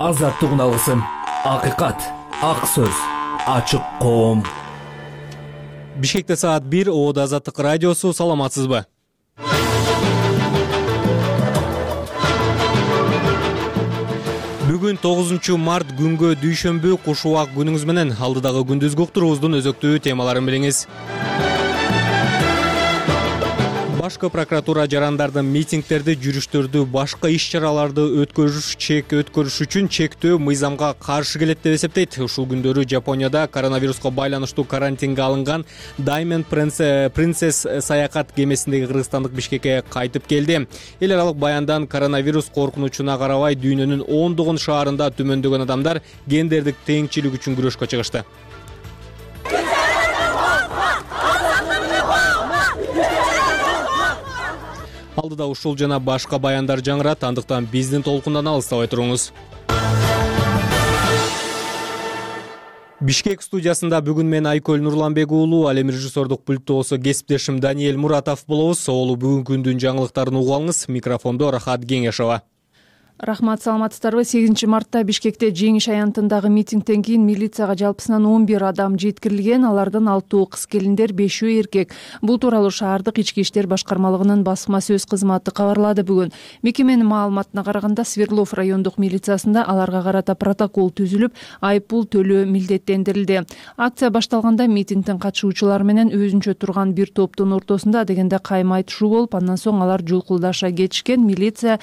Азаттыгын алгысым, акыйкат, ак сөз, ачык коом. Бишкекте саат 1, Оода Азаттык радиосу. Саламатсызбы? Бүгүн 9 март күнгө дүйшөмбү, куш убак күнүңүз менен. Алдыдагы күндүзгү уктуруубуздун өзөктүү темаларын билиңиз. Башкы прокуратура жарандардын митингдерди, жүрүштөрдү, башка иш-чараларды өткөрүш үчүн чектөө мыйзамга каршы келет деп эсептейт. Ушул күндөрү Жапонияда коронавируска байланыштуу карантинге алынган Diamond Princess саякат кемесиндеги кыргызстандык Бишкекке кайтып келди. Эл аралык баяндан коронавирус коркунучуна карабай дүйнөнүн ондогон шаарында түмөндөгөн адамдар гендердик теңчилик үчүн күрөшкө чыгышты. Алдыда ушул жана башка баяндар жаңырат, андыктан биздин толкундан алыстабай туруңуз. Бишкек студиясында бүгүн мен Айкөл Нурланбек уулу, ал эми режиссердук пультту болсо кесиптешим Даниэль Муратов болобуз. Оолу бүгүнкү күндүн жаңылыктарын угуп алыңыз. Микрофондо Рахат Кеңешова. Рахмат, саламатсыздарбы? 8 мартта Бишкекте Жеңиш аянтындагы митингден кийин милицияга жалпысынан 11 адам жеткирилген. Алардан 6 кыз келиндер, 5 эркек. Бул тууралуу шаардык ички иштер башкармалыгынын басма сөз кызматы кабарлады бүгүн. Мекеменин маалыматына караганда, Свердлов райондук милициясында аларга карата протокол түзүлүп, айыппул төлөө милдеттендирилди. Акция башталганда митингдин катышуучулары менен өзүнчө турган бир топтун ортосунда дегенде кайма айтышуу болуп, андан соң алар жулкулдаша кетишкен. Милиция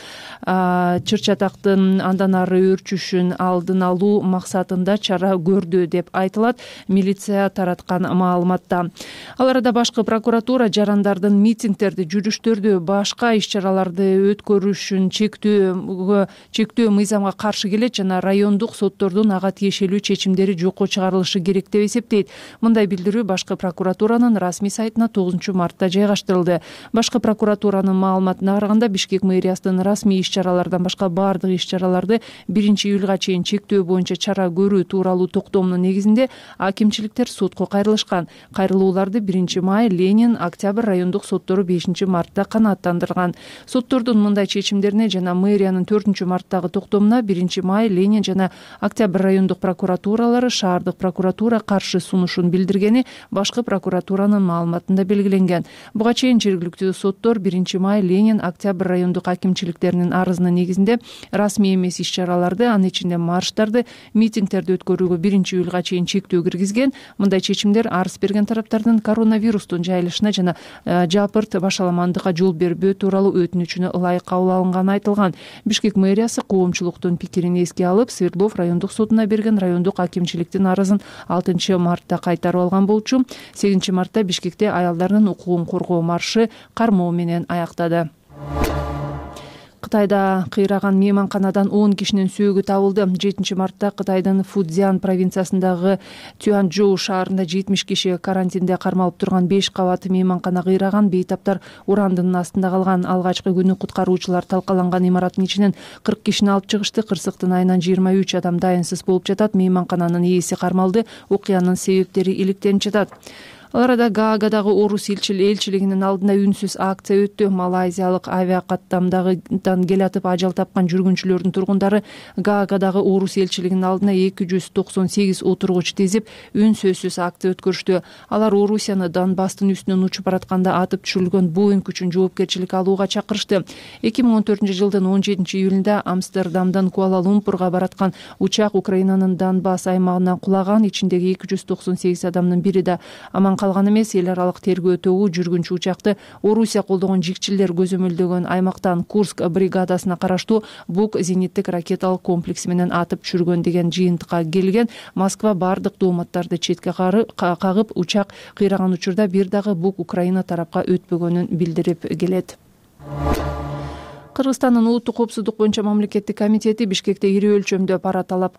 чатактын андан ары өрчүшүн алдын алуу максатында чара көрдү деп айтылат милиция тараткан маалыматта. Ал арада башкы прокуратура жарандардын митингдерди, жүрүштөрдү, башка иш-чараларды өткөрүшүн чектөө мыйзамга каршы келет жана райондук соттордун ага тиешелүү чечимдери жокко чыгарылышы керек деп эсептейт. Мындай билдирүү башкы прокуратуранын расмий сайтына 9 мартта жайгаштырылды. Башкы прокуратуранын маалыматына караганда, Бишкек мэриясынын расмий иш-чаралардан башка баардык иш-чараларды 1-июлга чейин чектөө боюнча чара көрүү тууралуу токтомдун негизинде акимчиликтер сотко кайрылышкан. Кайрылууларды 1 май, Ленин, Октябрь райондук соттору 5 мартта канааттандырган. Соттордун мындай чечимдерине жана мэриянын 4 марттагы токтомуна 1 май, Ленин жана Октябрь райондук прокуратуралары шаардык прокуратура каршы сунушун билдиргени башкы прокуратуранын маалыматында белгиленген. Буга чейин жергиликтүү соттор 1 май, Ленин, Октябрь райондук акимчиликтеринин арызынын негизинде расмий эмес иш-чараларды, анын ичинде марштарды, митингдерди өткөрүүгө 1-июлга чейин чектөө киргизген. Мындай чечимдер арыз берген тараптардын коронавирустун жайылышына жана жапырт башаламандыкка жол бербөө тууралуу өтүнүчүнө ылайык кабыл алынганы айтылган. Бишкек мэриясы коомчулуктун пикирин эске алып, Свердлов райондук сотуна берген райондук акимчиликтин арызын 6 мартта кайтарып алган болчу. 8 мартта Бишкекте аялдардын укугун коргоо маршы кармоо менен аяктады. Кытайда кыйраган мейманканадан 10 кишинин сөөгү табылды. 7 мартта Кытайдын Фудзян провинциясындагы Цюанчжоу шаарында 70 киши карантинде кармалып турган 5 кабат мейманкана кыйраган. Бейтаптар урандын астында калган. Алгачкы күнү куткаруучулар талкаланган имараттын ичинен 40 кишини алып чыгышты. Кырсыктын айынан 23 адам дайынсыз болуп жатат. Мейманкананын ээси кармалды. Окуянын себептери иликтенип жатат. Ал арада Гаагадагы орус элчилигинин алдында үнсүз акция өттү. Малайзиялык авиакаттамдагыдан келатып ажал тапкан жүргүнчүлөрдүн тургундары Гаагадагы орус элчилигинин алдына 298 отургуч тизип үнсүзсүз акция өткөрүштү. Алар Орусияны Донбасстын үстүнөн учуп баратканда атып түшүрүлгөн Боинг үчүн жоопкерчилик алууга чакырышты. 2014 жылдын 17 июлунда Амстердамдан Куала-Лумпурга бараткан учак Украинанын Донбасс аймагынан кулаган. Ичиндеги 298 адамдын бири да аман калган эмес. Эл аралык тергөө тобу жүргүнчү учакты Орусия колдогон жикчилер көзөмөлдөгөн аймактан Курск бригадасына караштуу Бук зениттик ракеталык комплекси менен атып түшүргөн деген жыйынтыкка келген. Москва бардык дооматтарды четке кагып, учак кыйраган учурда бир дагы Бук Украина тарапка өтпөгөнүн билдирип келет. Кыргызстандын улуттук коопсуздук боюнча мамлекеттик комитети Бишкекте ири өлчөмдө пара талап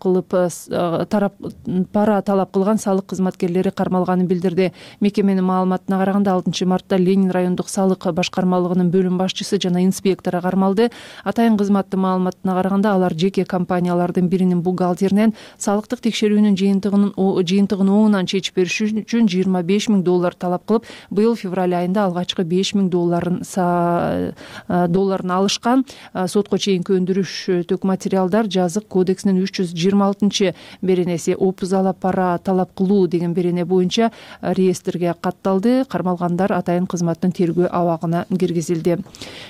кылган салык кызматкерлери кармалганын билдирди. Мекеменин маалыматына караганда 6 мартта Ленин райондук салык башкармалыгынын бөлүм башчысы жана инспектору кармалды. Атайын кызматтын маалыматына караганда алар жеке компаниялардын биринин бухгалтеринен салыктык текшерүүнүн жыйынтыгын оңунан чечип бериш үчүн $25,000 талап кылып, быйыл февраль айында алгачкы $5,000 алышкан. тараткан сотко чейинки өндүрүштүк материалдар жазык кодексинин 326 беренеси опузалап пара талап кылуу деген берене боюнча реестрге катталды. Кармалгандар атайын кызматтын тергөө абагына киргизилди.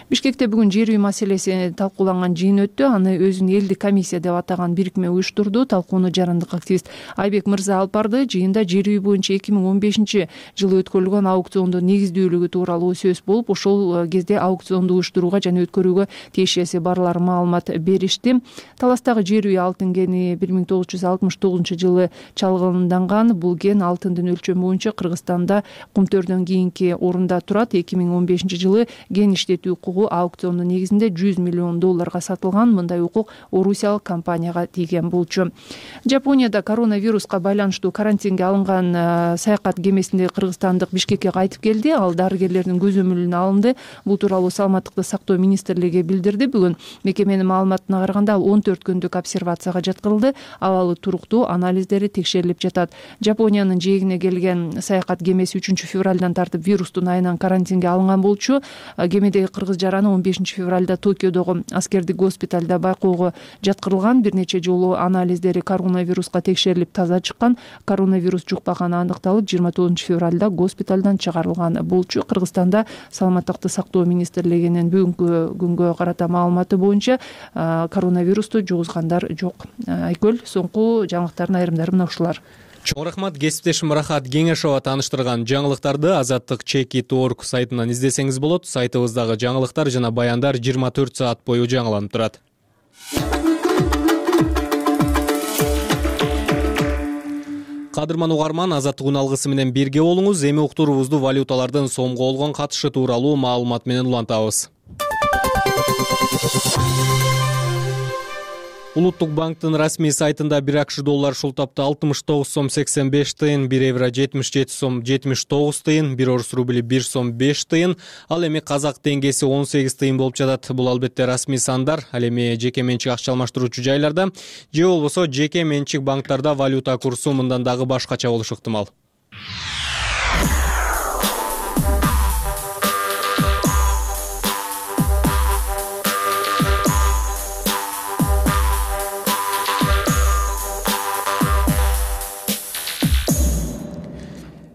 Бишкекте бүгүн жер үй маселеси талкууланган жыйын өттү. Аны өзүн элдик комиссия деп атаган бирикме уюштурду. Талкууну жарандык активист Айбек Мырза алып барды. Жыйында жер үй боюнча 2015 жылы өткөрүлгөн аукциондун негиздүүлүгү тууралуу сөз болуп, ошол кезде аукционду уюштурууга жана өткөрүүгө тиешеси барлар маалымат беришти. Таластагы жер үй алтын кени 1969 жылы чалгынданган. Бул кен алтындын өлчөмү боюнча Кыргызстанда Кумтөрдөн кийинки орунда турат. 2015 жылы кен иштетүү укугу аукциондун негизинде $100 миллион сатылган. Мындай укук орусиялык компанияга тийген болчу. Жапонияда коронавируска байланыштуу карантинге алынган саякат кемесинде кыргызстандык Бишкекке кайтып келди. Ал дарыгерлердин көзөмөлүнө алынды. Бул тууралуу Саламаттыкты сактоо министрлиги билдирди. Бүгүн мекеменин маалыматына караганда ал 14 күндүк обсервацияга жаткырылды. Абалы туруктуу, анализдери текшерилип жатат. Жапониянын жээгине келген саякат кемеси 3 февралдан тартып вирустун айынан карантинге алынган болчу. Кемедеги кыргыз жараны 15 февралда Токиодогу аскердик госпиталда байкоого жаткырылган. Бир нече жолу анализдери коронавируска текшерилип таза чыккан. Коронавирус жукпаганы аныкталып, 29 февралда госпиталдан чыгарылган болчу. Кыргызстанда Саламаттыкты сактоо министрлигинин бүгүнкү күнгө карата маалыматы боюнча коронавирусту жугузгандар жок. Айкөл, соңку жаңылыктардын айрымдары мына ушулар. Чоң рахмат, кесиптешим Рахат Кеңешова тааныштырган жаңылыктарды Азаттык Check.org сайтынан издесеңиз болот. Сайтыбыздагы жаңылыктар жана баяндар 24 саат бою жаңыланып турат. Кадырман угарман, Азаттык уналгысы менен бирге болуңуз. Эми уктуруубузду валюталардын сомго болгон катышы тууралуу маалымат менен улантабыз. Улуттук банктын расмий сайтында 1 акш доллар шултапта 69 сом 85 тыйын, 1 евро 77 сом 79 тыйын, 1 орус рубли 1 сом 5 тыйын, ал эми казак теңгеси 18 тыйын болуп жатат. Бул албетте расмий сандар. Ал эми жеке менчик акча алмаштыруучу жайларда же болбосо жеке менчик банктарда валюта курсу мындан дагы башкача болушу ыктымал.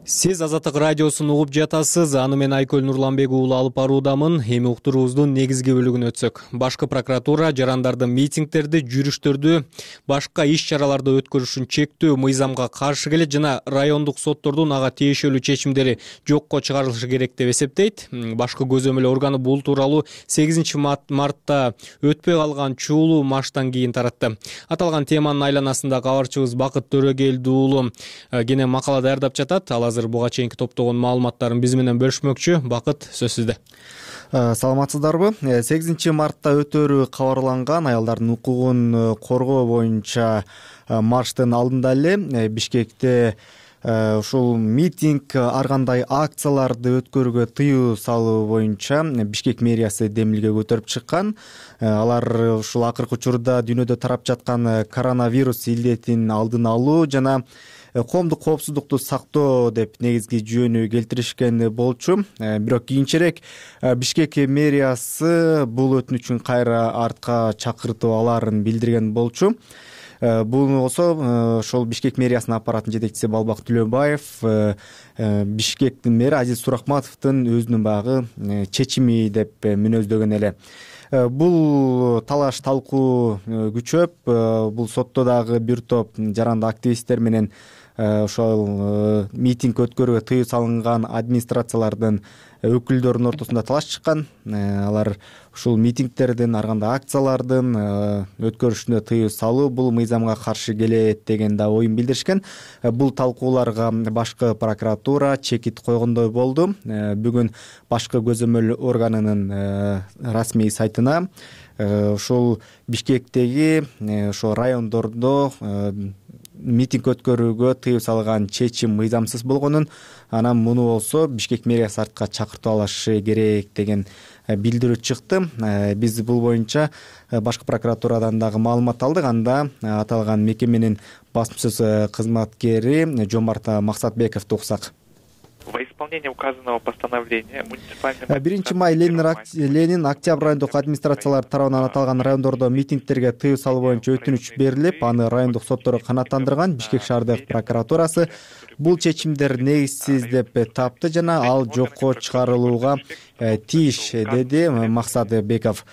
Сиз Азаттык радиосун угуп жатасыз. Аны мен Айкөл Нурланбек уулу алып баруудамын. Эми уктуруубуздун негизги бөлүгүнө өтсөк. Башкы прокуратура жарандардын митингдерди, жүрүштөрдү, башка иш-чараларды өткөрүшүн чектөө мыйзамга каршы келет жана райондук соттордун ага тиешелүү чечимдери жокко чыгарылышы керек деп эсептейт. Башкы көзөмөл органы бул тууралуу 8 мартта өтпөй калган чуулуу марштан кийин таратты. Аталган теманын айланасында кабарчыбыз Бакыт Төрөгелди уулу кене макала даярдап жатат. Ал азыр буга чейинки топтогон маалыматтарын биз менен бөлүшмөкчү. Бакыт, сөз сизде. Саламатсыздарбы? 8 мартта өтөрү кабарланган аялдардын укугун коргоо боюнча марштын алдында эле Бишкекте ушул митинг, ар кандай акцияларды өткөрүүгө тыюу салуу боюнча Бишкек мэриясы демилге көтөрүп чыккан. Алар ушул акыркы учурда дүйнөдө тарап жаткан коронавирус илдетин алдын алуу жана коомдук коопсуздукту сактоо деп негизги жүйөнү келтиришкен болчу. Бирок кийинчерээк Бишкек мэриясы бул өтүнүчүн кайра артка чакыртып алаарын билдирген болчу. Бул болсо ошол Бишкек мэриясынын аппараттын жетекчиси Балбак Түлөбаев Бишкектин мэри Азиз Суракматовдун өзүнүн баягы чечими деп мүнөздөгөн эле. Бул талаш талкуу күчөп, бул сотто дагы бир топ жаранды активисттер менен ошол митинг өткөрүүгө тыюу салынган администрациялардын өкүлдөрүнүн ортосунда талаш чыккан. Алар ушул митингдердин, ар кандай акциялардын өткөрүшүнө тыюу салуу бул мыйзамга каршы келет деген да оюн билдиришкен. Бул талкууларга башкы прокуратура чекит койгондой болду. Бүгүн башкы көзөмөл органынын расмий сайтына ушул Бишкектеги ошо райондордо митинг өткөрүүгө тыюу салган чечим мыйзамсыз болгонун, анан муну болсо Бишкек мэриясы артка чакыртып алышы керек деген билдирүү чыкты. Биз бул боюнча башкы прокуратурадан дагы маалымат алдык. Анда аталган мекеменин басма сөз кызматкери Жомарт Максатбековду уксак. Во исполнение указанного постановления муниципальный 1 май Ленин Октябрь райондук администрациялар тарабынан аталган райондордо митингдерге тыюу салуу боюнча өтүнүч берилип, аны райондук соттору канааттандырган. Бишкек шаардык прокуратурасы бул чечимдер негизсиз деп тапты жана ал жокко чыгарылууга тийиш, деди Максат Беков.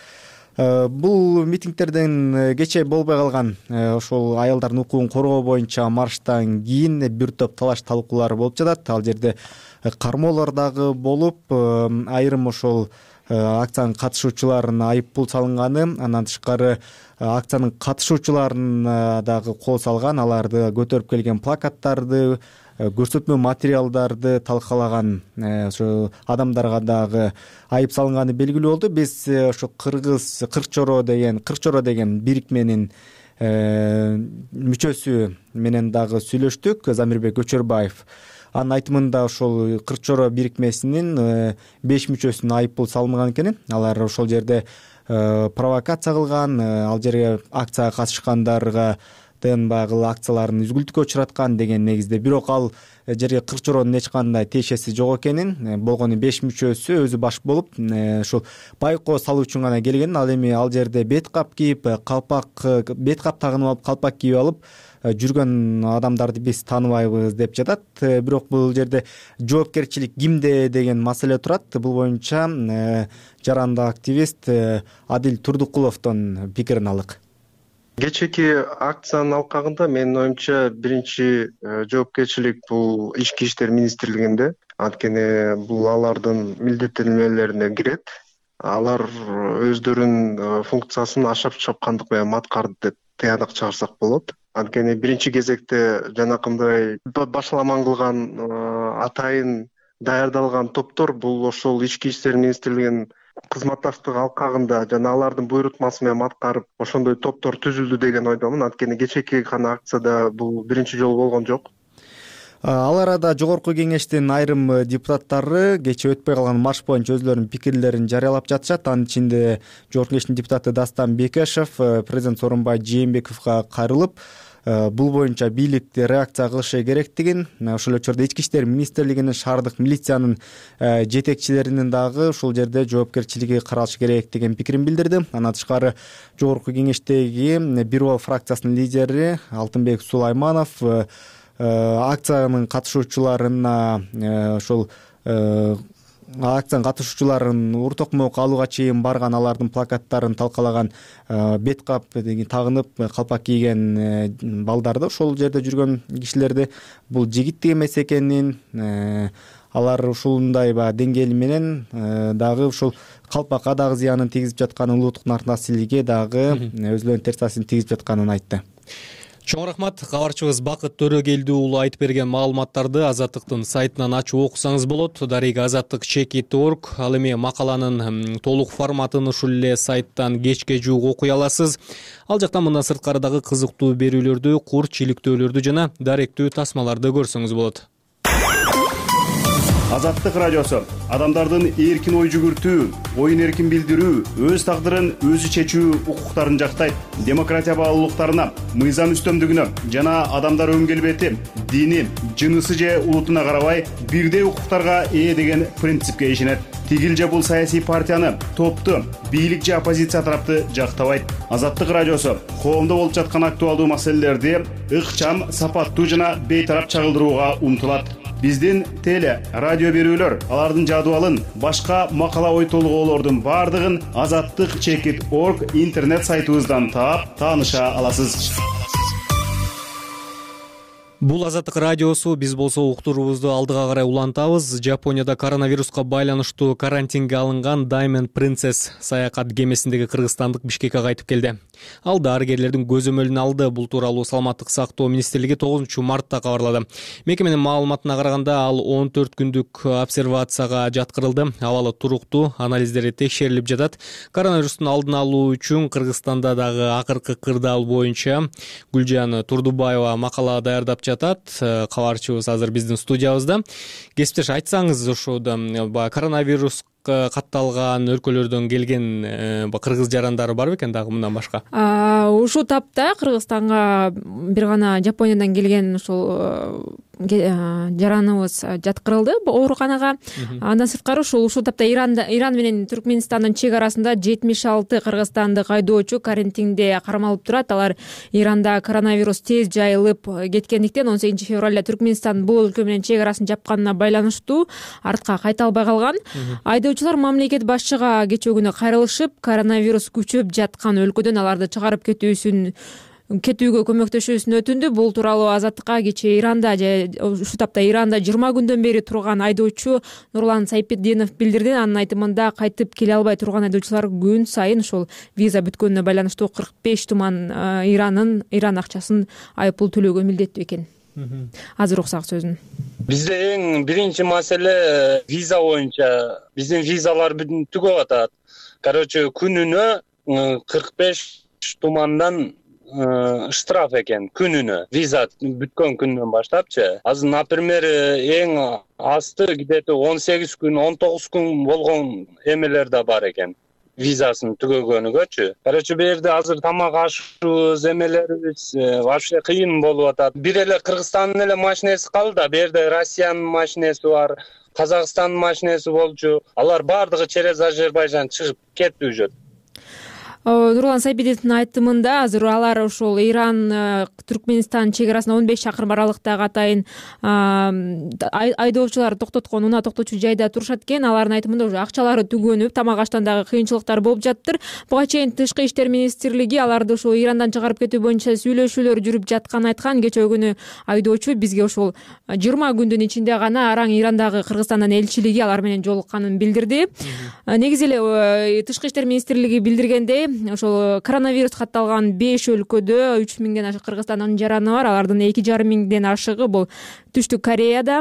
Бул митингдерден кечээ болбой калган ошол аялдардын укугун коргоо боюнча марштан кийин бир топ талаш талкуулар болуп жатат. Ал жерде кармоолор дагы болуп, айрым ошол акциянын катышуучуларына айып пул салынганы, андан тышкары акциянын катышуучуларын дагы кол салган, аларды көтөрүп келген плакаттарды, көрсөтмө материалдарды талкалаган ошо адамдарга дагы айып салынганы белгилүү болду. Биз ошо Кырк-Чоро деген бирикменин мүчөсү менен дагы сүйлөштүк, Замирбек Көчөрбаев. Анын айтымында ошол Кырк-Чоро бирикмесинин 5 мүчөсүнө айып пул салынган экен. Алар ошол жерде провокация кылган, ал жерге акцияга катышкандарга баягы акцияларын үзгүлтүккө учураткан деген негизде. Бирок ал жерге Кырк-Чоронун эч кандай тиешеси жок экенин, болгону 5 мүчөсү өзү баш болуп, ушул байкоо салуу үчүн гана келген. Ал эми ал жерде бет кап кийип, бет кап тагынып алып, калпак кийип алып жүргөн адамдарды биз тааныбайбыз деп жатат. Бирок бул жерде жоопкерчилик кимде деген маселе турат. Бул боюнча жарандык активист Адил Турдукуловдон пикирин алык. Кечээки акциянын алкагында менин оюмча биринчи жоопкерчилик бул Ички иштер министрлигинде. Анткени бул алардын милдеттенмелерине кирет. Алар өздөрүнүн функциясын ашап чапкандык менен аткарды деп тыянак чыгарсак болот. Анткени биринчи кезекте жанакындай башаламан кылган атайын даярдалган топтор бул ошол Ички иштер министрлигинин кызматташтык алкагында жана алардын буйрутмасы менен аткарып ошондой топтор түзүлдү деген ойдомун. Анткени кечээки гана акцияда бул биринчи жолу болгон жок. Ал арада жогорку кеңештин айрым депутаттары кечээ өтпөй калган марш боюнча өзлөрүнүн пикирлерин жарыялап жатышат. Анын ичинде жогорку кеңештин депутаты Дастан Бекешев президент Сооронбай Жээнбековго кайрылып, бул боюнча бийлик реакция кылышы керектигин, ошол эле учурда Ички иштер министрлигинин шаардык милициянын жетекчилеринин дагы ушул жерде жоопкерчилиги каралышы керек деген пикирин билдирди. Андан тышкары жогорку кеңештеги Бир Бал фракциясынын лидери Алтынбек Сулайманов акциянын катышуучуларына ошол акциянын катышуучуларын ур токмок алууга чейин барган, алардын плакаттарын талкалаган, бет кап тагынып калпак кийген балдарды, ошол жерде жүргөн кишилерди бул жигиттик эмес экенин, алар ушундай деңгээли менен дагы ушул калпакка дагы зыянын тийгизип жатканын, улуттук насилиге дагы өзлөрүнүн терс таасирин тийгизип жатканын айтты. Чоң рахмат. Кабарчыбыз Бакыт Төрөгелди уулу айтып берген маалыматтарды Азаттыктын сайтынан ачып окусаңыз болот. Дарега azattik.org. Ал эми макаланын толук форматын ушул эле сайттан кечке жуук окуй аласыз. Ал жактан мындан сырткары дагы кызыктуу берүүлөрдү, кур чиликтөөлөрдү жана даректүү тасмаларды көрсөңүз болот. Азаттык радиосу адамдардын эркин ой жүгүртүү, оюн эркин билдирүү, өз тагдырын өзү чечүү укуктарын жактайт. Демократия баалуулуктарына, мыйзам үстөмдүгүнө жана адамдар өң келбети, дини, жынысы же улутуна карабай бирдей укуктарга ээ деген принципке ишенет. Тигил же бул саясий партияны, топту, бийлик же оппозиция тарапты жактабайт. Азаттык радиосу коомдо болуп жаткан актуалдуу маселелерди ыкчам, сапаттуу жана бейтарап чагылдырууга умтулат. Биздин теле, радио берүүлөр, алардын жадыбалын, башка макала ой толгоолордун бардыгын azattik.org интернет сайтыбыздан таап, тааныша аласыз. Бул Азаттык радиосу. Биз болсо уктуруубузду алдыга карай улантабыз. Жапонияда коронавируска байланыштуу карантинге алынган Diamond Princess саякат кемесиндеги кыргызстандык Бишкекке кайтып келди. Ал дарыгерлердин көзөмөлүн алды. Бул тууралуу Саламаттык сактоо министрлиги 9 мартта кабарлады. Мекеменин маалыматына караганда ал 14 күндүк обсервацияга жаткырылды. Абалы туруктуу, анализдери текшерилип жатат. Коронавирустун алдын алуу үчүн Кыргызстанда дагы акыркы кырдаал боюнча Гүлжан Турдубаева макала даярдап жатат. Кабарчыбыз азыр биздин студиябызда. Кесиптеш, айтсаңыз, ошодо коронавирус катталган өлкөлөрдөн келген кыргыз жарандары бар бекен дагы мындан башка? Ушул тапта Кыргызстанга бир гана Жапониядан келген ушул жараныбыз жаткырылды ооруканага. Андан сырткары ушул тапта Иран менен Түркмөнстандын чек арасында 76 кыргызстандык айдоочу карантинде кармалып турат. Алар Иранда коронавирус тез жайылып кеткендиктен 18 февралда Түркмөнстан бул өлкө менен чек арасын жапканына байланыштуу артка кайта албай калган. Айдоочулар мамлекет башчыга кечээ күнү кайрылышып, коронавирус күчөп жаткан өлкөдөн аларды чыгарып кетүүгө көмөктөшүүсүн өтүндү. Бул тууралуу Азаттыкка кечээ Иранда ушул тапта Иранда 20 күндөн бери турган айдоочу Нурлан Сайпетдинов билдирди. Анын айтымында кайтып келе албай турган айдоочулар күн сайын ушул виза бүткөнүнө байланыштуу 45 туман Иран акчасын айыппул төлөөгө милдеттүү экен. Азыр уксак сөзүн. Бизде эң биринчи маселе виза боюнча. Биздин визалар түгөп атат. Күнүнө 45 тумандан штраф экен күнүнө. Виза бүткөн күндөн баштапчы. Азыр, например, эң асты где-то 18 күн, 19 күн болгон эмелер да бар экен. Визасын түгөгөнүгөчү. Бу жерде азыр тамак ашыбыз, эмелерибиз вообще кыйын болуп атат. Бир эле Кыргызстандын эле машинеси калды, бу жерде Россиянын машинеси бар, Казакстандын машинеси болчу. Алар бардыгы через Азербайжан чыгып кетти уже. Нурлан Сайпетдиновдун айтымында азыр алар ошол Иран Түркмөнстан чек арасында 15 чакырым аралыктагы атайын айдоочулар токтоткон унаа токточу жайда турушат экен. Алардын айтымында уже акчалары түгөнүп, тамак аштан дагы кыйынчылыктар болуп жаттыр. Буга чейин Тышкы иштер министрлиги аларды ошол Ирандан чыгарып кетүү боюнча сүйлөшүүлөр жүрүп жатканын айткан. Кечээ күнү айдоочу бизге ошол 20 күндүн ичинде гана араң Ирандагы Кыргызстандын элчилиги алар менен жолукканын билдирди. Негизи эле Тышкы иштер министрлиги билдиргендей, ошол коронавирус катталган 5 өлкөдө 3000ден ашык Кыргызстандын жараны бар. Алардын 2500ден ашыгы бул Түштүк Кореяда,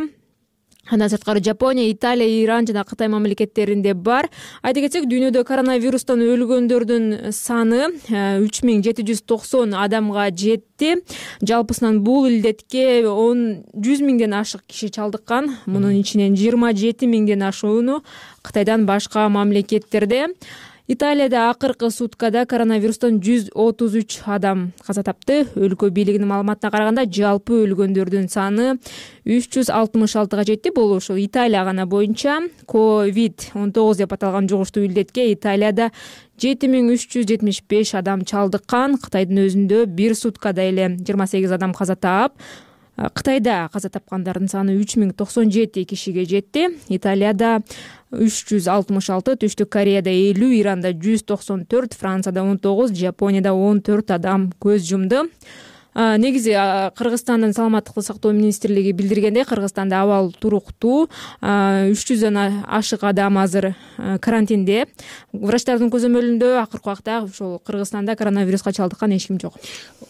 андан сырткары Жапония, Италия, Иран жана Кытай мамлекеттеринде бар. Айта кетсек, дүйнөдө коронавирустан өлгөндөрдүн саны 3790 адамга жетти. Жалпысынан бул илдетке 100.000ден ашык киши чалдыккан. Мунун ичинен 27.000ден ашууну Кытайдан башка мамлекеттерде. Италияда акыркы суткада коронавирустан 133 адам каза тапты. Өлкө бийлигинин маалыматына караганда, жалпы өлгөндөрдүн саны 366 жетти. Бул ошол Италия гана боюнча COVID-19 деп аталган жугуштуу илдетке Италияда 7375 адам чалдыккан. Кытайдын өзүндө бир суткада эле 28 адам каза таап, Кытайда каза тапкандардын саны 3097 кишиге жетти. Италияда 366, Түштүк Кореяда 50, Иранда 194, Францияда 19, Жапонияда 14 адам көз жумду. Негизи Кыргызстандын саламаттыкты сактоо министрлиги билдиргендей, Кыргызстанда абал туруктуу, 300дөн ашык адам азыр карантинде. Врачтардын көзөмөлүндө акыркы убакта ошол Кыргызстанда коронавируска чалдыккан эч ким жок.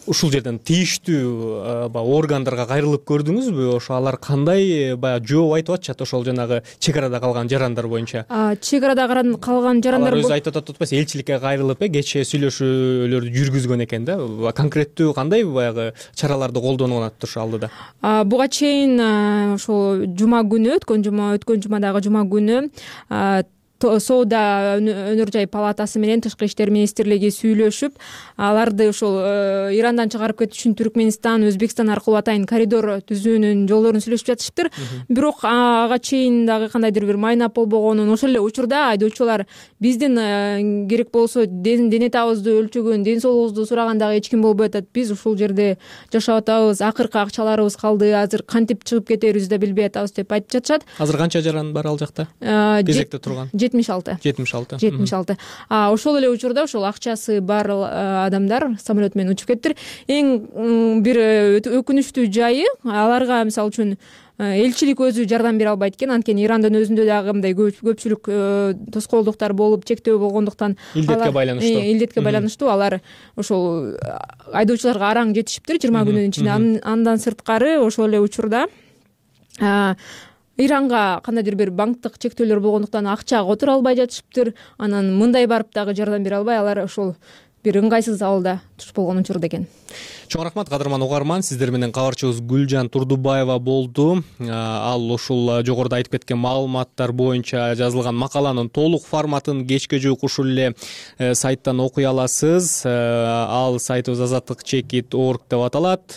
Ушул жерден тийиштүү органдарга кайрылып көрдүңүзбү? Ошо алар кандай баягы жооп айтып атышат ошол жанагы чек арада калган жарандар боюнча? Чек арада калган жарандар өзү айтып атат атпайсыз, элчиликке кайрылып кечээ сүйлөшүүлөрдү жүргүзгөн экен да. Конкреттүү кандай баягы чараларды колдонуп атыптыр алдыда? Буга чейин ошол жума күнү, өткөн жумадагы жума күнү Соода өнөр жай палатасы менен Тышкы иштер министрлиги сүйлөшүп, аларды ошол Ирандан чыгарып кетиш үчүн Түркмөнстан, Өзбекстан аркылуу атайын коридор түзүүнүн жолдорун сүйлөшүп жатышыптыр. Бирок ага чейин дагы кандайдыр бир майнап болбогонун, ошол эле учурда айдоочулар биздин керек болсо дене табыбызды өлчөгөн, ден соолугубузду сураган дагы эч ким болбой атат. Биз ушул жерде жашап атабыз, акыркы акчаларыбыз калды, азыр кантип чыгып кетерибизди да билбей атабыз деп айтып жатышат. Азыр канча жаран бар ал жакта? Кезекте турган? 76. Ошол эле учурда ошол акчасы бар адамдар самолет менен учуп кетиптир. Эң бир өкүнүчтүү жайы, аларга мисалы үчүн элчилик өзү жардам бере албайт экен. Анткени Ирандын өзүндө дагы мындай көпчүлүк тоскоолдуктар болуп, чектөө болгондуктан илдетке байланыштуу алар ошол айдоочуларга араң жетишиптир 20 күнүн ичинде. Андан сырткары ошол эле учурда Иранга кандайдыр бир банктык чектөөлөр болгондуктан акча которо албай жатышыптыр. Анан мындай барып дагы жардам бере албай, алар ошол бир ыңгайсыз абалда туш болгон учурда экен. Чоң рахмат кадырман угарман, сиздер менен кабарчыбыз Гүлжан Турдубаева болду. Ал ушул жогоруда айтып кеткен маалыматтар боюнча жазылган макаланын толук форматын кечке жуук ушул эле сайттан окуй аласыз. Ал сайтыбыз azatlyk.org деп аталат.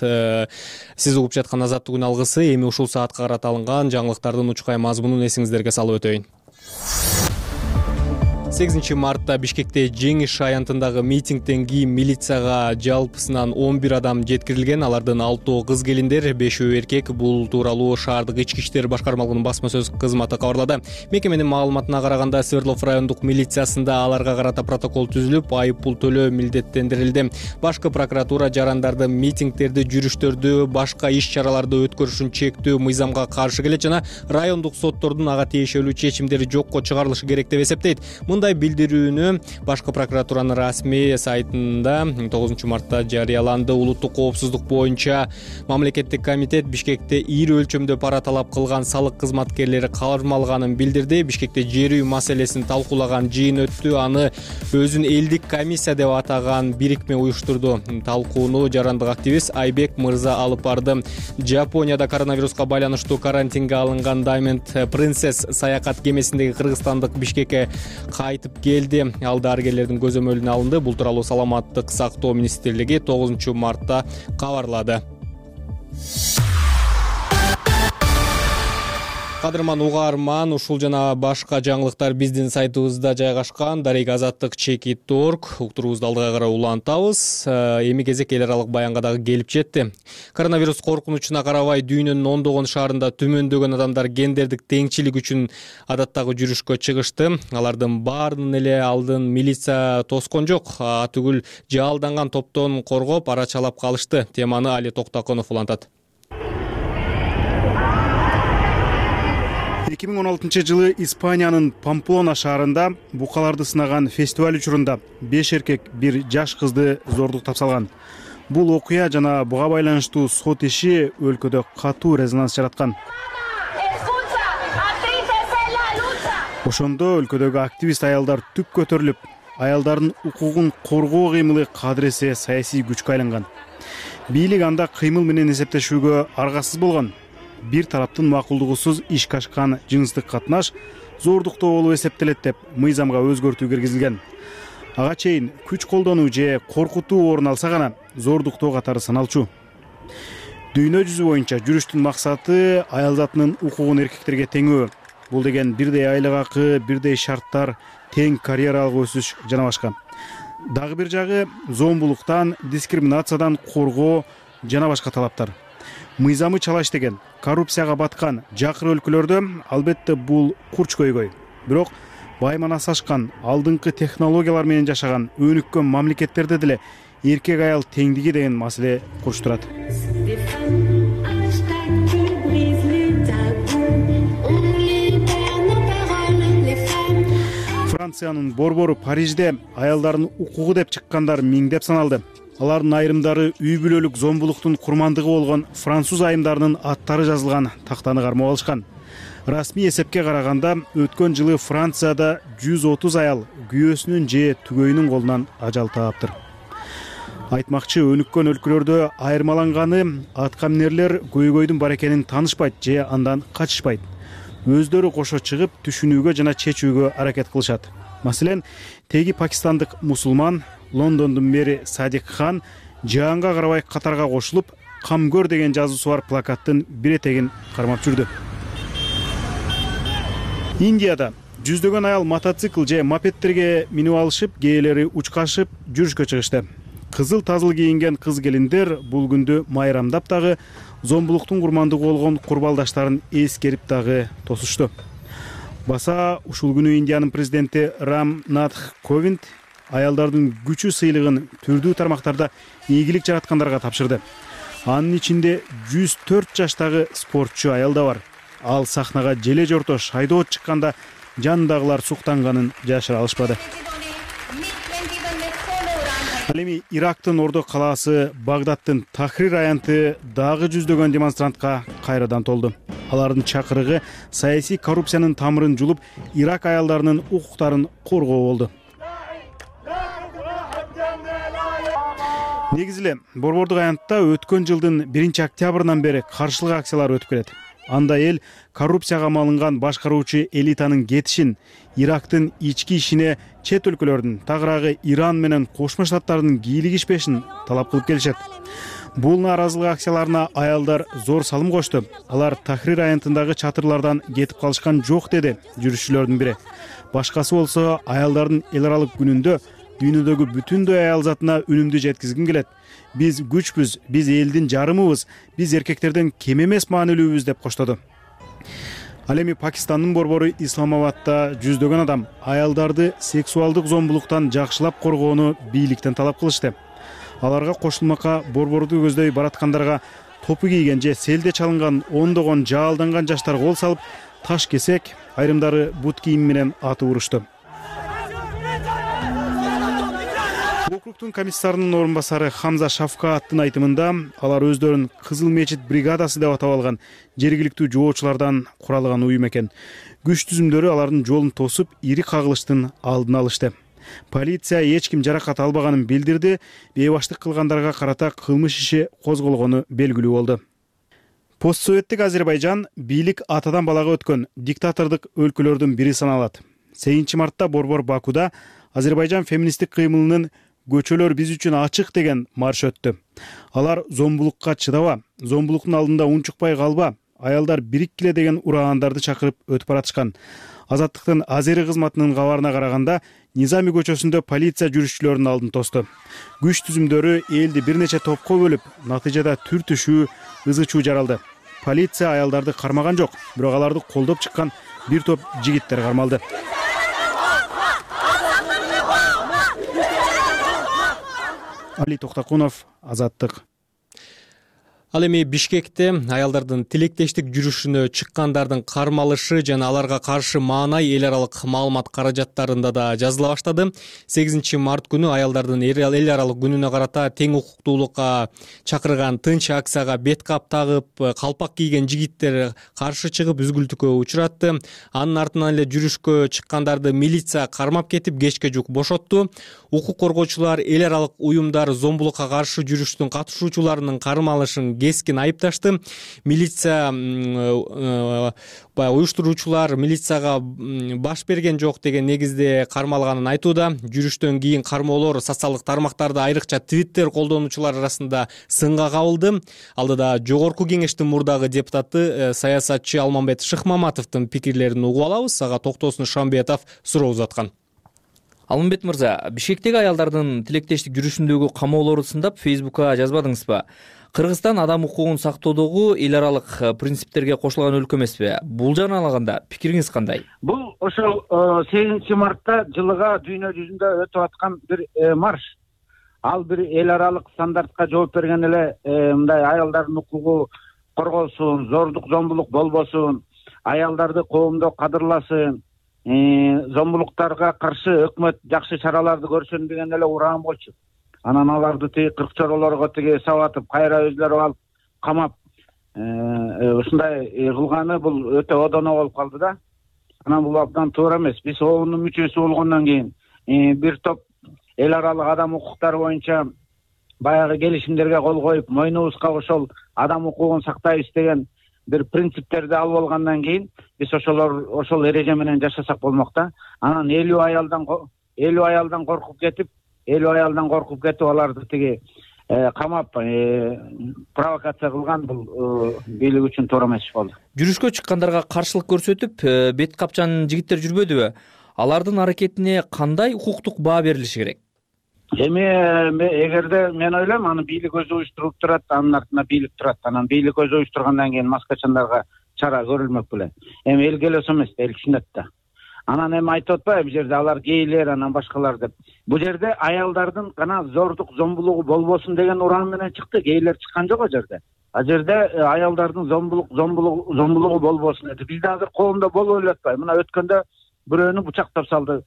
Сиз угуп жаткан Азаттык күн алгысы эми ушул саатка карата алынган жаңылыктардын учкай мазмунун эсиңиздерге салып өтөйүн. 8 мартта Бишкекте Жеңиш аянтындагы митингден кийин милицияга жалпысынан 11 адам жеткирилген. Алардын 6 кыз келиндер, 5 эркек. Бул тууралуу шаардык ички иштер башкармалыгынын басма сөз кызматы кабарлады. Мекеменин маалыматына караганда Свердлов райондук милициясында аларга карата протокол түзүлүп, айып пул төлөө милдеттендирилди. Башкы прокуратура жарандардын митингдерди, жүрүштөрдү, башка иш-чараларды өткөрүшүн чектөө мыйзамга каршы келет жана райондук соттордун ага тиешелүү чечимдери жокко чыгарылышы керек деп эсептейт. Мындай билдирүүнү башкы прокуратуранын расмий сайтында 9 мартта жарыяланды. Улуттук коопсуздук боюнча мамлекеттик комитет Бишкекте ири өлчөмдө пара талап кылган салык кызматкерлери кармалганын билдирди. Бишкекте жер үй маселесин талкуулаган жыйын өттү. Аны өзүн элдик комиссия деп атаган бирикме уюштурду. Талкууну жарандык активист Айбек мырза алып барды. Жапонияда коронавируска байланыштуу карантинге алынган Diamond Princess саякат кемесиндеги кыргызстандык Бишкекке кайтып келди. Ал дарыгерлердин көзөмөлүнө алынды. Бул тууралуу Саламаттык сактоо министрлиги 9 мартта кабарлады. Кадырман угарман, ушул жана башка жаңылыктар биздин сайтыбызда жайгашкан. Azatlyk.org уктурубузду алдыга карай улантабыз. Эми кезек эл аралык баянга дагы келип жетти. Коронавирус коркунучуна карабай дүйнөнүн ондогон шаарында түмөндөгөн адамдар гендердик теңчилик үчүн адаттагы жүрүшкө чыгышты. Алардын баарынын эле алдын милиция тоскон жок. Түгүл жаалданган топтон коргоп арачалап калышты. Теманы Али Токтаконов улантат. 2016-жылы Испаниянын Памплона шаарында букаларды сынаган фестиваль учурунда 5 эркек, 1 жаш кызды зордуктап салган. Бул окуя жана буга байланыштуу сот иши өлкөдө катуу резонанс жараткан. Ошондо өлкөдөгү активист аялдар түп көтөрүлүп, аялдардын укугун коргоо кыймылы кадыресе саясий күчкө айланган. Бийлик анда кыймыл менен эсептешүүгө аргасыз болгон. Бир тараптын макулдугусуз ишке ашкан жыныстык катнаш зордуктоо болуп эсептелет деп мыйзамга өзгөртүү киргизилген. Ага чейин күч колдонуу же коркутуу орун алса гана зордуктоо катары саналчу. Дүйнө жүзү боюнча жүрүштүн максаты аял затынын укугун эркектерге теңөө. Бул деген бирдей айлык акы, бирдей шарттар, тең карьералык өсүш жана башка. Дагы бир жагы зомбулуктан, дискриминациядан коргоо жана башка талаптар. Мыйзамы чала иштеген, коррупцияга баткан жакыр өлкөлөрдө албетте бул курч көйгөй. Бирок байманасы ашкан, алдыңкы технологиялар менен жашаган өнүккөн мамлекеттерде деле эркек аял теңдиги деген маселе курч турат. Франциянын борбору Парижде аялдардын укугу деп чыккандар миңдеп саналды. Алардын айрымдары үй бүлөлүк зомбулуктун курмандыгы болгон француз айымдарынын аттары жазылган тактаны кармап алышкан. Расмий эсепке караганда өткөн жылы Францияда 130 аял күйөөсүнүн же түгөйүнүн колунан ажал таптыр. Айтмакчы, өнүккөн өлкөлөрдө айырмаланганы аткаминерлер көйгөйдүн бар экенин таанышпайт же андан качышпайт. Өздөрү кошо чыгып түшүнүүгө жана чечүүгө аракет кылышат. Маселен, теги пакистандык мусулман Лондондун мэри Садик Хан жаанга карабай катарга кошулуп, камгөр деген жазуусу бар плакаттын бир этегин кармап жүрдү. Индияда жүздөгөн аял мотоцикл же мопедтерге минип алышып, кээелери учкашып жүрүшкө чыгышты. Кызыл тазыл кийинген кыз келиндер бул күндү майрамдап дагы зомбулуктун курмандыгы болгон курбалдаштарын эскерип дагы тосушту. Баса ушул күнү Индиянын президенти Рам Натх Ковинд аялдардын күчү сыйлыгын түрдүү тармактарда ийгилик жараткандарга тапшырды. Анын ичинде 104 жаштагы спортчу аял да бар. Ал сахнага желе жорто шайдоо чыкканда жанындагылар суктанганын жашыра алышпады. Ал эми Ирактын Ордо калаасы Багдадтын Тахрир аянты дагы жүздөгөн демонстрантка кайрадан толду. Алардын чакырыгы саясий коррупциянын тамырын жулуп, Ирак аялдарынын укуктарын коргоо болду. Негизи эле Борбордук аянтта өткөн жылдын 1-октябрынан бери каршылык акциялар өтүп келет. Анда эл коррупцияга малынган башкаруучу элитанын кетишин, Ирактын ички ишине чет өлкөлөрдүн, тагыраагы Иран менен Кошмо Штаттардын кийлигишпешин талап кылып келишет. Бул нааразылык акцияларына аялдар зор салым кошту. Алар Тахрир аянтындагы чатырлардан кетип калышкан жок, деди жүрүшчүлөрдүн бири. Башкасы болсо аялдардын эл аралык күнүндө дүйнөдөгү бүтүндөй аял затына үнүмдү жеткизгим келет. Биз күчпүз, биз элдин жарымыбыз, биз эркектерден кем эмес маанилүүбүз, деп коштоду. Ал эми Пакистандын борбору Исламабадда жүздөгөн адам аялдарды сексуалдык зомбулуктан жакшылап коргоону бийликтен талап кылышты. Аларга кошулмакка борборду көздөй бараткандарга топу кийген же селде чалынган ондогон жаалданган жаштар кол салып, таш кесек, айрымдары бут кийим менен атып урушту. Округтун комиссарынын орун басары Хамза Шафкааттын айтымында, алар өздөрүн Кызыл мечит бригадасы деп атап алган жергиликтүү жоочулардан куралган уюм экен. Күч түзүмдөрү алардын жолун тосуп, ири кагылыштын алдын алышты. Полиция эч ким жаракат албаганын билдирди, бейбаштык кылгандарга карата кылмыш иши козголгону белгилүү болду. Постсоветтик Азербайжан бийлик атадан балага өткөн диктатордук өлкөлөрдүн бири саналат. 8 мартта борбор Бакуда Азербайжан феминисттик кыймылынын «Көчөлөр биз үчүн ачык» деген марш өттү. Алар зомбулукка чыдаба, зомбулуктун алдында унчукпай калба, аялдар бириккиле деген ураандарды чакырып өтүп баратышкан. Азаттыктын Азери кызматынын кабарына караганда, Низами көчөсүндө полиция жүрүшчүлөрдүн алдын тосту. Күч түзүмдөрү элди бир нече топко бөлүп, натыйжада түр түшүү, ызы чуу жаралды. Полиция аялдарды кармаган жок, бирок аларды колдоп чыккан бир топ жигиттер кармалды. Али Токтакунов, Азаттык. Ал эми Бишкекте аялдардын тилектештик жүрүшүнө чыккандардын кармалышы жана аларга каршы маанай эл аралык маалымат каражаттарында да жазыла баштады. 8 март күнү аялдардын эл аралык күнүнө карата тең укуктуулукка чакырган тынч акцияга бет кап тагып, калпак кийген жигиттер каршы чыгып үзгүлтүккө учуратты. Анын артынан эле жүрүшкө чыккандарды милиция кармап кетип, кечке жук бошотту. Укук коргоочулар эл аралык уюмдар зомбулукка каршы жүрүштүн катышуучуларынын кармалышын кескин айыпташты. Милиция уюштуруучулар милицияга баш берген жок деген негизде кармалганын айтууда. Жүрүштөн кийин кармоолор социалдык тармактарда, айрыкча Twitter колдонуучулар арасында сынга кабылды. Алдыда Жогорку кеңештин мурдагы депутаты саясатчы Алмамбет Шыкмаматовдун пикирлерин угуп алабыз. Ага Токтосун Шамбетов суроо узаткан. Алмамбет мырза, Бишкектеги аялдардын тилектештик жүрүшүндөгү камоолорду сындап Facebook'ка жазбадыңызбы? Кыргызстан адам укугун сактоодогу эл аралык принциптерге кошулган өлкө эмеспи? Бул жагынан алганда пикириңиз кандай? Бул ошол 8 мартта жылыга дүйнө жүзүндө өтүп аткан бир марш. Ал бир эл аралык стандартка жооп берген эле мындай аялдардын укугу корголсун, зордук зомбулук болбосун, аялдарды коомдо кадырласын, зомбулуктарга каршы өкмөт жакшы чараларды көрсүн деген эле ураан болчу. Анан аларды тиги кыркчоролорго тиги сабатып, кайра өзлөрү алып камап, ушундай кылганы бул өтө одоно болуп калды да. Анан бул абдан туура эмес. Биз оонун мүчөсү болгондон кийин бир топ эл аралык адам укуктары боюнча баягы келишимдерге кол коюп, мойнубузга ошол адам укугун сактайбыз деген бир принциптерди алып алгандан кийин биз ошол эреже менен жашасак болмок да. Анан 50 аялдан коркуп кетип аларды тиги камап провокация кылган бул бийлик үчүн туура эмес болду. Жүрүшкө чыккандарга каршылык көрсөтүп, бет капчан жигиттер жүрбөдүбү? Алардын аракетине кандай укуктук баа берилиши керек? Эми эгерде мен ойлойм, аны бийлик өзү уюштуруп турат, анын артында бийлик турат. Анан бийлик өзү уюштургандан кийин маскачандарга чара көрүлмөк беле. Эми эл келесо эмес, эл түшүнөт да. Анан эми айтып атпайбы, бул жерде алар гейлер, анан башкалар деп. Бул жерде аялдардын гана зордук зомбулугу болбосун деген ураан менен чыкты. Гейлер чыккан жок о жерде. А жерде аялдардын зомбулугу болбосун деди. Бизде азыр коомдо болуп эле атпайбы? Мына өткөндө бирөөнү бучактап салды,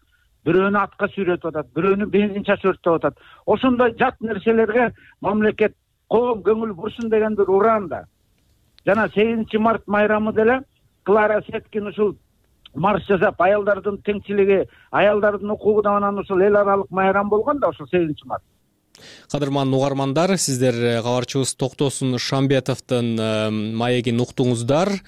бирөөнү атка сүйрөтүп атат, бирөөнү бензин чачып өрттөп атат. Ошондой жат нерселерге мамлекет, коом көңүл бурсун деген бир ураан да. Жана 8 март майрамы деле Клара Сеткин ушул марш жасап, аялдардын теңчилиги, аялдардын укугу да анан ушул эл аралык майрам болгон да ошол 8 март. Кадырман угармандар, сиздер кабарчыбыз Токтосун Шамбетовдун маегин уктуңуздар.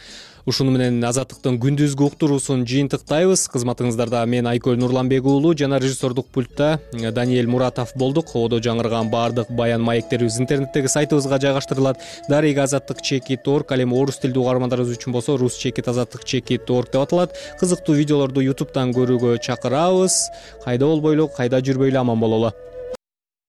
Ушуну менен Азаттыктын күндүзгү уктуруусун жыйынтыктайбыз. Кызматыңыздарда мен Айкөл Нурланбек уулу жана режиссердук пультта Даниэль Муратов болдук. Ободо жаңырган баардык баян маектерибиз интернеттеги сайтыбызга жайгаштырылат. Дарыга Азаттык /org, ал эми орус тилдүү угармандарыбыз үчүн болсо Rus Azattık /org деп аталат. Кызыктуу видеолорду YouTube'дан көрүүгө чакырабыз. Кайда болбойлу, кайда жүрбөйлү аман бололу.